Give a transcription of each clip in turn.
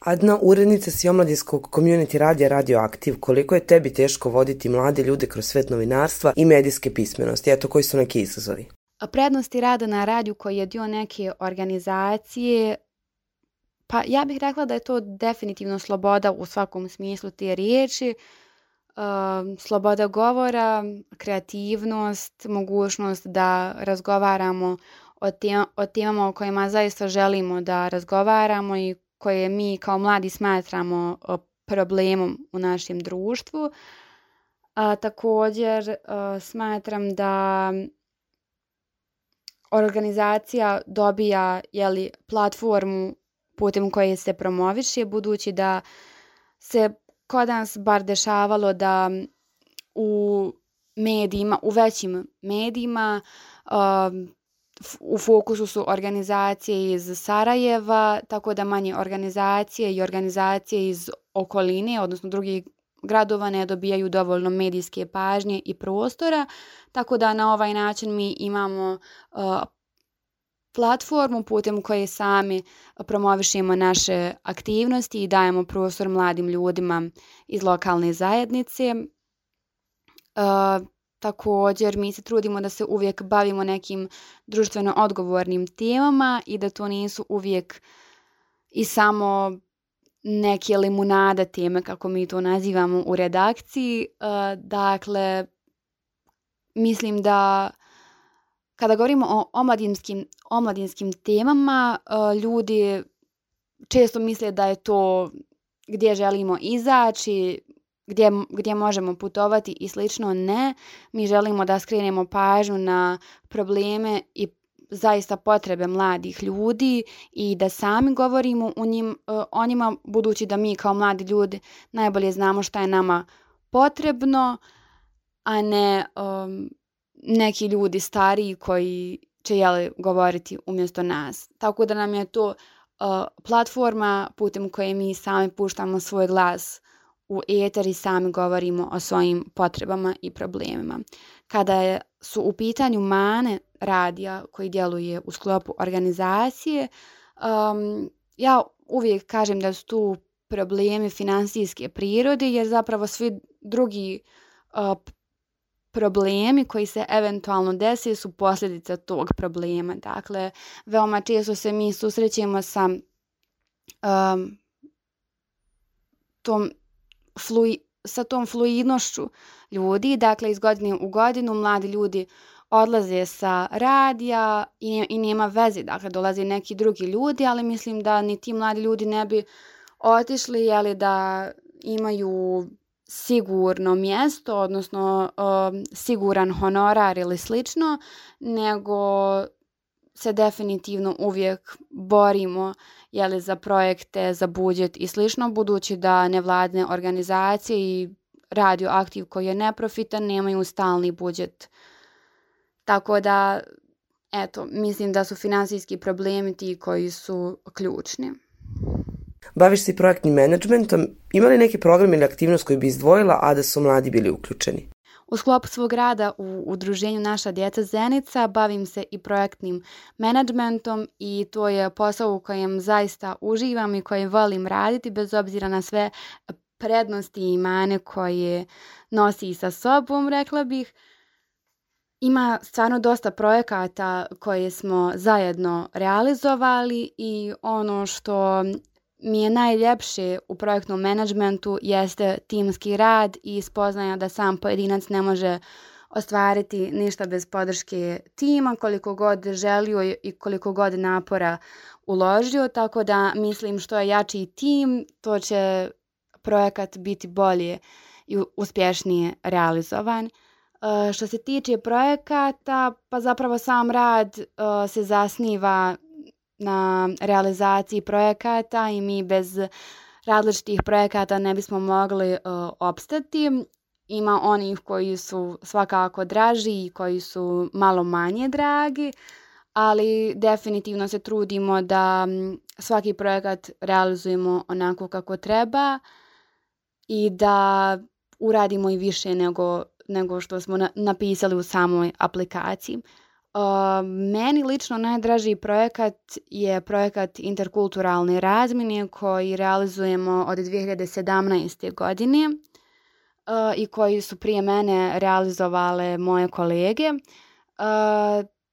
Adna, urednica si omladinskog community radija Radio Aktiv. Koliko je tebi teško voditi mlade ljude kroz svet novinarstva i medijske pismenosti? Eto, koji su neki izazovi? Prednosti rada na radiju koji je dio neke organizacije, pa ja bih rekla da je to definitivno sloboda u svakom smislu te riječi. Sloboda govora, kreativnost, mogućnost da razgovaramo o temama o kojima zaista želimo da razgovaramo i koje mi kao mladi smatramo problemom u našem društvu. Također smatram da organizacija dobija platformu putem koje se promoviše, budući da se kod nas bar dešavalo da u medijima, u većim medijima, u fokusu su organizacije iz Sarajeva, tako da manje organizacije i organizacije iz okoline, odnosno drugih gradova, ne dobijaju dovoljno medijske pažnje i prostora, tako da na ovaj način mi imamo platformu putem koje sami promovišemo naše aktivnosti i dajemo prostor mladim ljudima iz lokalne zajednice. Također mi se trudimo da se uvijek bavimo nekim društveno odgovornim temama i da to nisu uvijek i samo neke limunada teme, kako mi to nazivamo u redakciji. Dakle, mislim da kada govorimo o omladinskim temama, ljudi često misle da je to gdje želimo izaći, gdje možemo putovati i slično. Ne, mi želimo da skrenemo pažnju na probleme i zaista potrebe mladih ljudi i da sami govorimo o njima, budući da mi kao mladi ljudi najbolje znamo šta je nama potrebno, a ne neki ljudi stariji koji će govoriti umjesto nas. Tako da nam je to platforma putem koje mi sami puštamo svoj glas u eter i sami govorimo o svojim potrebama i problemima. Kada su u pitanju mane radija koji djeluje u sklopu organizacije, ja uvijek kažem da su tu problemi finansijske prirode, jer zapravo svi drugi problemi koji se eventualno dese su posljedica tog problema. Dakle, veoma često se mi susrećemo sa tom fluidnošću ljudi. Dakle, iz godine u godinu mladi ljudi odlaze sa radija i nema veze. Dakle, dolaze neki drugi ljudi, ali mislim da ni ti mladi ljudi ne bi otišli da imaju sigurno mjesto, odnosno siguran honorar ili slično, nego se definitivno uvijek borimo za projekte, za budžet i slično, budući da nevladine organizacije i Radio Aktiv koji je neprofitan nemaju stalni budžet. Tako da, mislim da su finansijski problemi ti koji su ključni. Baviš se projektnim menadžmentom. Ima li neki program ili aktivnost koji bi izdvojila, a da su mladi bili uključeni? U sklopu svog rada u udruženju Naša djeca Zenica bavim se i projektnim menadžmentom i to je posao u kojem zaista uživam i koji volim raditi bez obzira na sve prednosti i mane koje nosi sa sobom, rekla bih. Ima stvarno dosta projekata koje smo zajedno realizovali i ono što mi je najljepše u projektnom menadžmentu jeste timski rad i spoznaja da sam pojedinac ne može ostvariti ništa bez podrške tima, koliko god želio i koliko god napora uložio, tako da mislim što je jači tim, to će projekat biti bolje i uspješnije realizovan. Što se tiče projekata, pa zapravo sam rad se zasniva na realizaciji projekata i mi bez različitih projekata ne bismo mogli opstati. Ima onih koji su svakako draži i koji su malo manje dragi, ali definitivno se trudimo da svaki projekat realizujemo onako kako treba i da uradimo i više nego što smo napisali u samoj aplikaciji. Meni lično najdraži projekat je projekat interkulturalne razmjene koji realizujemo od 2017. godine i koji su prije mene realizovale moje kolege.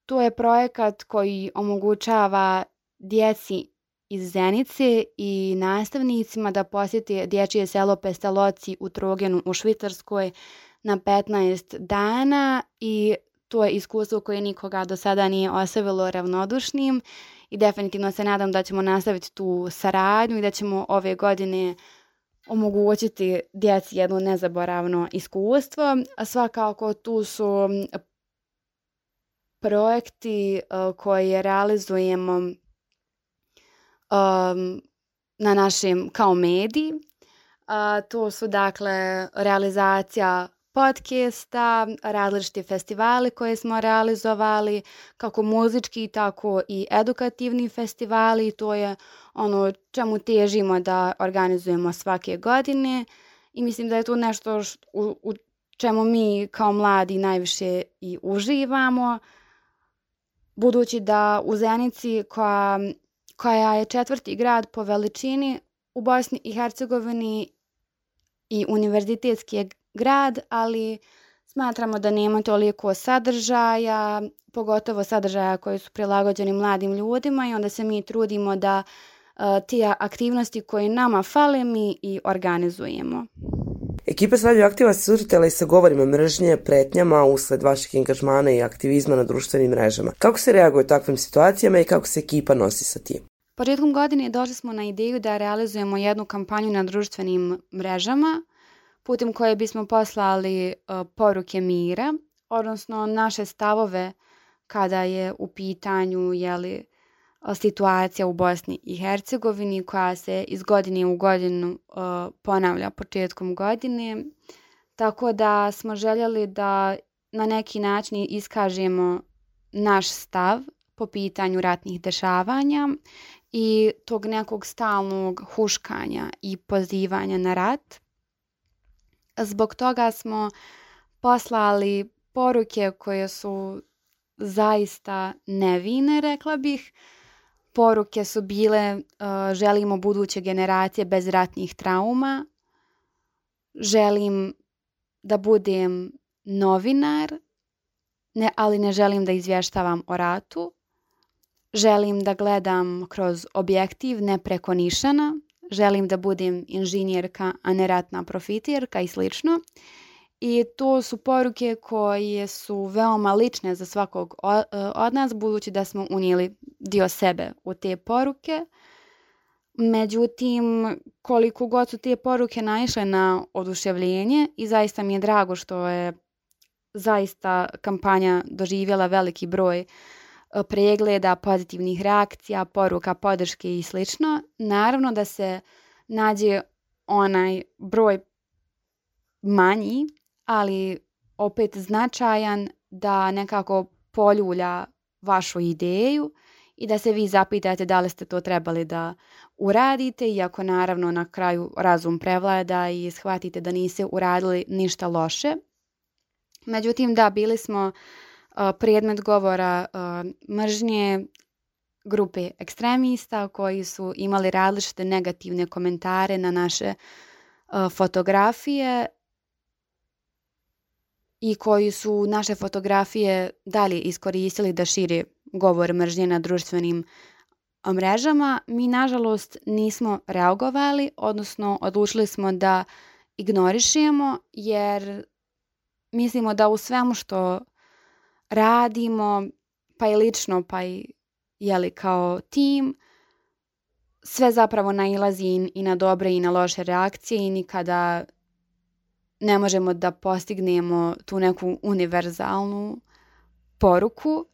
To je projekat koji omogućava djeci iz Zenice i nastavnicima da posjeti dječje selo Pestaloci u Trogenu u Švicarskoj na 15 dana i to je iskustvo koje nikoga do sada nije ostavilo ravnodušnim i definitivno se nadam da ćemo nastaviti tu saradnju i da ćemo ove godine omogućiti djeci jedno nezaboravno iskustvo. A svakako tu su projekti koje realizujemo na našem kao mediji. To su dakle realizacija podcasta, različiti festivali koje smo realizovali, kako muzički, tako i edukativni festivali. To je ono čemu težimo da organizujemo svake godine i mislim da je to nešto u čemu mi kao mladi najviše i uživamo, budući da u Zenici koja je 4. grad po veličini u Bosni i Hercegovini i univerzitetski grad, ali smatramo da nema toliko sadržaja, pogotovo sadržaja koji su prilagođeni mladim ljudima i onda se mi trudimo da te aktivnosti koje nama fale mi i organizujemo. Ekipa s Radioaktiva se susretala i sa govorima mržnje, pretnjama usled vaših angažmana i aktivizma na društvenim mrežama. Kako se reaguje u takvim situacijama i kako se ekipa nosi sa tim? Početkom godine došli smo na ideju da realizujemo jednu kampanju na društvenim mrežama putem koje bismo poslali poruke mira, odnosno naše stavove kada je u pitanju situacija u Bosni i Hercegovini koja se iz godine u godinu ponavlja početkom godine. Tako da smo željeli da na neki način iskažemo naš stav po pitanju ratnih dešavanja i tog nekog stalnog huškanja i pozivanja na rat. Zbog toga smo poslali poruke koje su zaista nevine, rekla bih. Poruke su bile želimo buduće generacije bez ratnih trauma, želim da budem novinar, ali ne želim da izvještavam o ratu, želim da gledam kroz objektiv, ne preko nišana, želim da budem inženjerka, a ne ratna profiterka i slično. I to su poruke koje su veoma lične za svakog od nas, budući da smo unijeli dio sebe u te poruke. Međutim, koliko god su te poruke naišle na oduševljenje i zaista mi je drago što je zaista kampanja doživjela veliki broj pregleda, pozitivnih reakcija, poruka, podrške i slično. Naravno da se nađe onaj broj manji, ali opet značajan da nekako poljulja vašu ideju i da se vi zapitate da li ste to trebali da uradite, iako naravno na kraju razum prevlada i shvatite da niste uradili ništa loše. Međutim, da, bili smo predmet govora mržnje grupe ekstremista koji su imali različite negativne komentare na naše fotografije i koji su naše fotografije dalje iskoristili da šire govor mržnje na društvenim mrežama. Mi, nažalost, nismo reagovali, odnosno odlučili smo da ignorišemo, jer mislimo da u svemu što radimo, pa i lično, pa i kao tim, sve zapravo nailazi i na dobre i na loše reakcije i nikada ne možemo da postignemo tu neku univerzalnu poruku.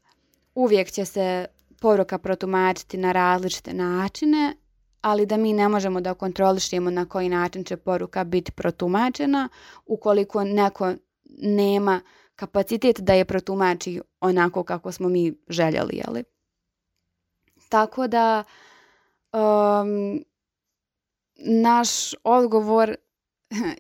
Uvijek će se poruka protumačiti na različite načine, ali da mi ne možemo da kontrolišemo na koji način će poruka biti protumačena ukoliko neko nema kapacitet da je protumači onako kako smo mi željeli. Tako da naš odgovor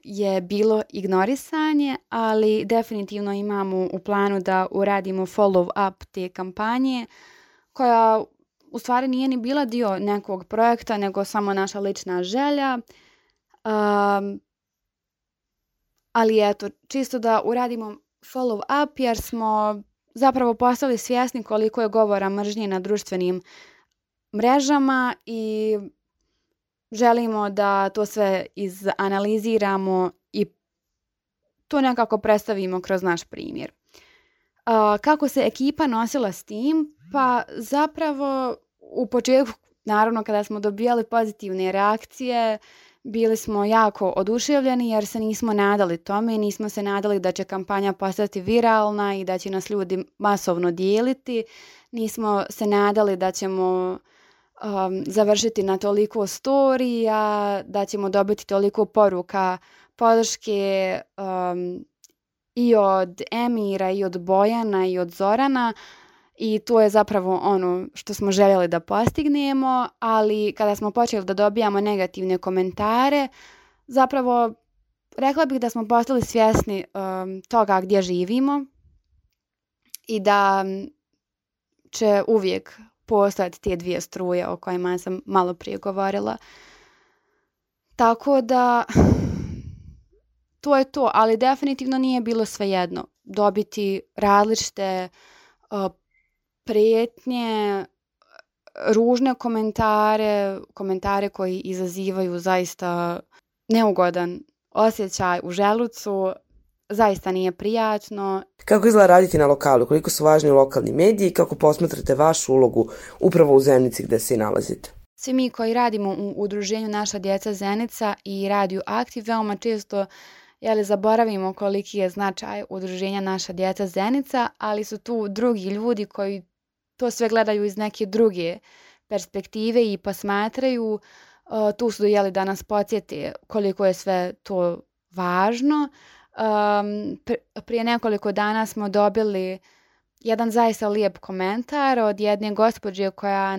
je bilo ignorisanje, ali definitivno imamo u planu da uradimo follow up te kampanje, koja u stvari nije ni bila dio nekog projekta, nego samo naša lična želja. Ali eto, čisto da uradimo follow up jer smo zapravo postali svjesni koliko je govora mržnje na društvenim mrežama i želimo da to sve izanaliziramo i to nekako predstavimo kroz naš primjer. Kako se ekipa nosila s tim? Pa zapravo u početku, naravno kada smo dobijali pozitivne reakcije, bili smo jako oduševljeni jer se nismo nadali tome, nismo se nadali da će kampanja postati viralna i da će nas ljudi masovno dijeliti. Nismo se nadali da ćemo završiti na toliko storija, da ćemo dobiti toliko poruka podrške i od Emira, i od Bojana, i od Zorana. I to je zapravo ono što smo željeli da postignemo, ali kada smo počeli da dobijamo negativne komentare, zapravo rekla bih da smo postali svjesni toga gdje živimo i da će uvijek postojati te dvije struje o kojima sam malo prije govorila. Tako da to je to, ali definitivno nije bilo svejedno dobiti različite prijetnje, ružne komentare koji izazivaju zaista neugodan osjećaj u želucu, zaista nije prijatno. Kako izgleda raditi na lokalu? Koliko su važni lokalni mediji i kako posmatrate vašu ulogu upravo u Zenici gdje se i nalazite? Svi mi koji radimo u udruženju Naša djeca Zenica i Radiju Aktiv veoma često zaboravimo koliki je značaj udruženja Naša djeca Zenica, ali su tu drugi ljudi koji to sve gledaju iz neke druge perspektive i posmatraju. Tu su da nas podsjete koliko je sve to važno. Prije nekoliko dana smo dobili jedan zaista lijep komentar od jedne gospođe koja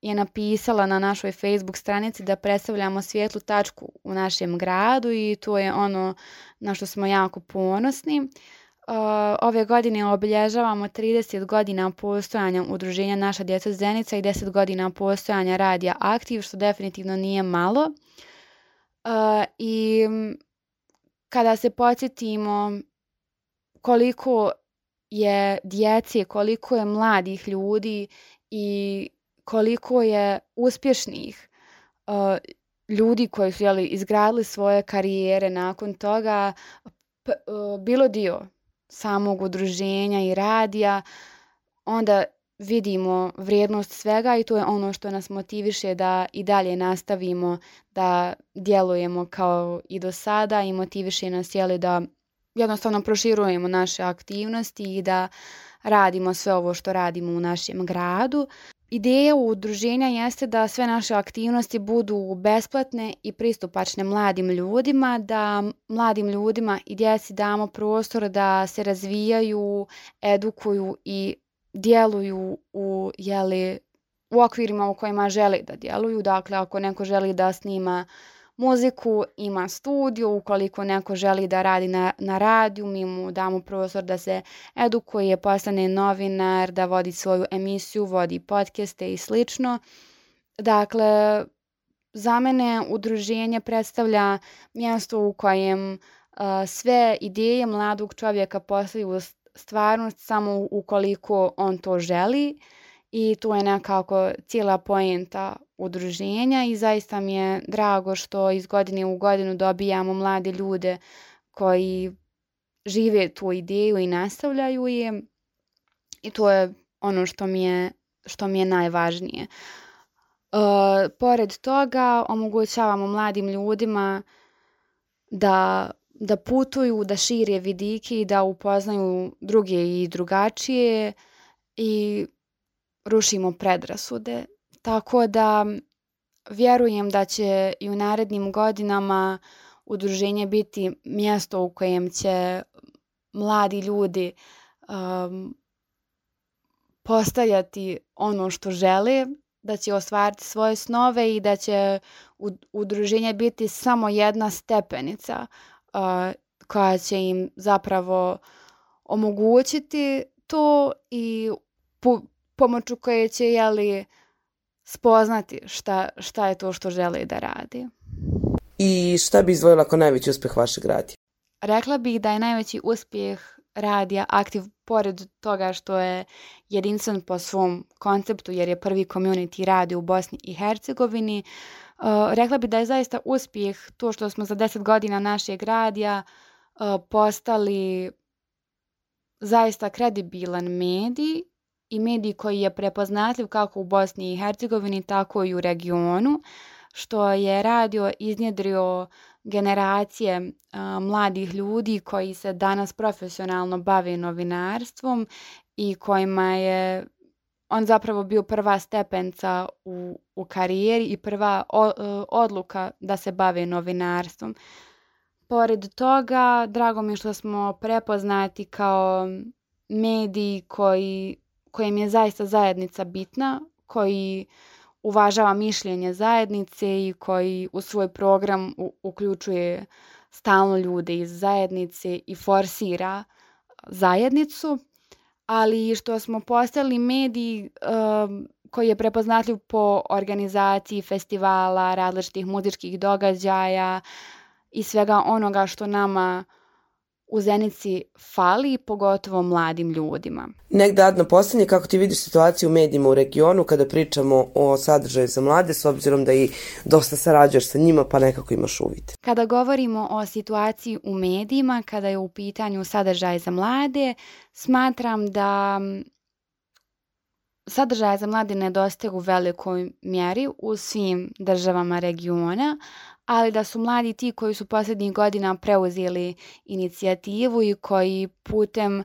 je napisala na našoj Facebook stranici da predstavljamo svijetlu tačku u našem gradu i to je ono na što smo jako ponosni. Ove godine obilježavamo 30 godina postojanja udruženja Naša djeca Zenica i 10 godina postojanja Radija Aktiv, što definitivno nije malo. I kada se podsjetimo koliko je djece, koliko je mladih ljudi i koliko je uspješnih ljudi koji su izgradili svoje karijere nakon toga, bilo dio samog udruženja i radija, onda vidimo vrijednost svega i to je ono što nas motiviše da i dalje nastavimo da djelujemo kao i do sada i motiviše nas da jednostavno proširujemo naše aktivnosti i da radimo sve ovo što radimo u našem gradu. Ideja udruženja jeste da sve naše aktivnosti budu besplatne i pristupačne mladim ljudima, da mladim ljudima i djeci damo prostor da se razvijaju, edukuju i djeluju u okvirima u kojima želi da djeluju. Dakle, ako neko želi da snima muziku, ima studio, ukoliko neko želi da radi na radiju, mi mu damo prostor da se edukuje, postane novinar, da vodi svoju emisiju, vodi podcaste i slično. Dakle, za mene udruženje predstavlja mjesto u kojem sve ideje mladog čovjeka postaju stvarnost samo ukoliko on to želi i to je nekako cijela poenta udruženja i zaista mi je drago što iz godine u godinu dobijamo mlade ljude koji žive tu ideju i nastavljaju je i to je ono što mi je najvažnije. Pored toga omogućavamo mladim ljudima da putuju, da šire vidike i da upoznaju druge i drugačije i rušimo predrasude. Tako da vjerujem da će i u narednim godinama udruženje biti mjesto u kojem će mladi ljudi postajati ono što žele, da će ostvariti svoje snove i da će udruženje biti samo jedna stepenica koja će im zapravo omogućiti to i pomoću koje će spoznati šta je to što žele da radi. I šta bi izdvojila kao najveći uspjeh vašeg radija? Rekla bih da je najveći uspjeh radija Aktiv, pored toga što je jedinstven po svom konceptu jer je prvi community radio u Bosni i Hercegovini. Rekla bih da je zaista uspjeh to što smo za 10 godina našeg radija postali zaista kredibilan medij i medij koji je prepoznatljiv kako u Bosni i Hercegovini, tako i u regionu, što je radio iznjedrio generacije mladih ljudi koji se danas profesionalno bave novinarstvom i kojima je on zapravo bio prva stepenca u karijeri i prva odluka da se bave novinarstvom. Pored toga, drago mi je što smo prepoznati kao mediji kojem je zaista zajednica bitna, koji uvažava mišljenje zajednice i koji u svoj program uključuje stalno ljude iz zajednice i forsira zajednicu, ali što smo postali mediji koji je prepoznatljiv po organizaciji festivala, različitih muzičkih događaja i svega onoga što nama u Zenici fali, pogotovo mladim ljudima. Negdje Adna posljednje, kako ti vidiš situaciju u medijima u regionu kada pričamo o sadržaju za mlade, s obzirom da i dosta sarađuješ sa njima pa nekako imaš uvid? Kada govorimo o situaciji u medijima, kada je u pitanju sadržaj za mlade, smatram da sadržaja za mlade nedostaje u velikoj mjeri u svim državama regiona, ali da su mladi ti koji su posljednjih godina preuzeli inicijativu i koji putem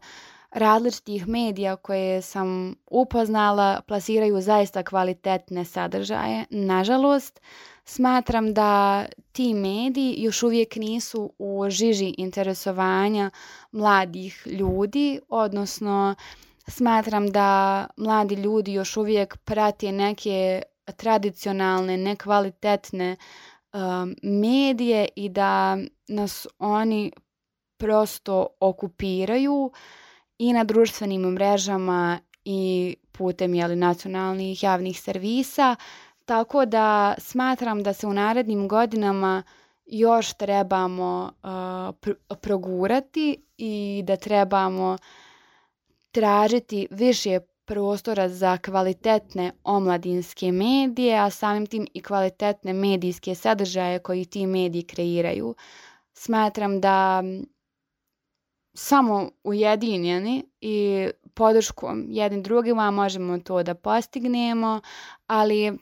različitih medija koje sam upoznala plasiraju zaista kvalitetne sadržaje. Nažalost, smatram da ti mediji još uvijek nisu u žiži interesovanja mladih ljudi, odnosno smatram da mladi ljudi još uvijek prate neke tradicionalne, nekvalitetne medije i da nas oni prosto okupiraju i na društvenim mrežama i putem nacionalnih javnih servisa, tako da smatram da se u narednim godinama još trebamo progurati i da trebamo tražiti više prostora za kvalitetne omladinske medije, a samim tim i kvalitetne medijske sadržaje koji ti mediji kreiraju. Smatram da samo ujedinjeni i podrškom jednim drugima možemo to da postignemo, ali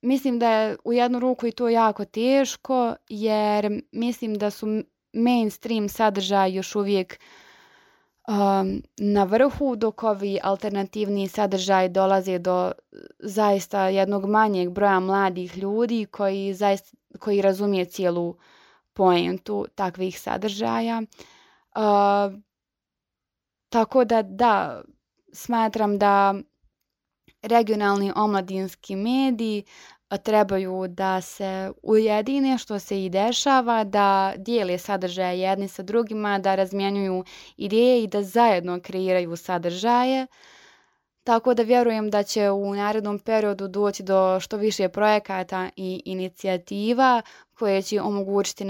mislim da je u jednu ruku i to jako teško, jer mislim da su mainstream sadržaji još uvijek na vrhu, dok ovi alternativni sadržaji dolaze do zaista jednog manjeg broja mladih ljudi koji razumije cijelu poentu takvih sadržaja. Tako da, smatram da regionalni omladinski mediji trebaju da se ujedine, što se i dešava, da dijele sadržaje jedni sa drugima, da razmjenjuju ideje i da zajedno kreiraju sadržaje. Tako da vjerujem da će u narednom periodu doći do što više projekata i inicijativa koje će omogućiti,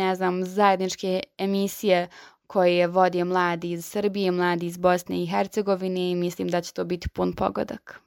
zajedničke emisije koje vode mladi iz Srbije, mladi iz Bosne i Hercegovine i mislim da će to biti pun pogodak.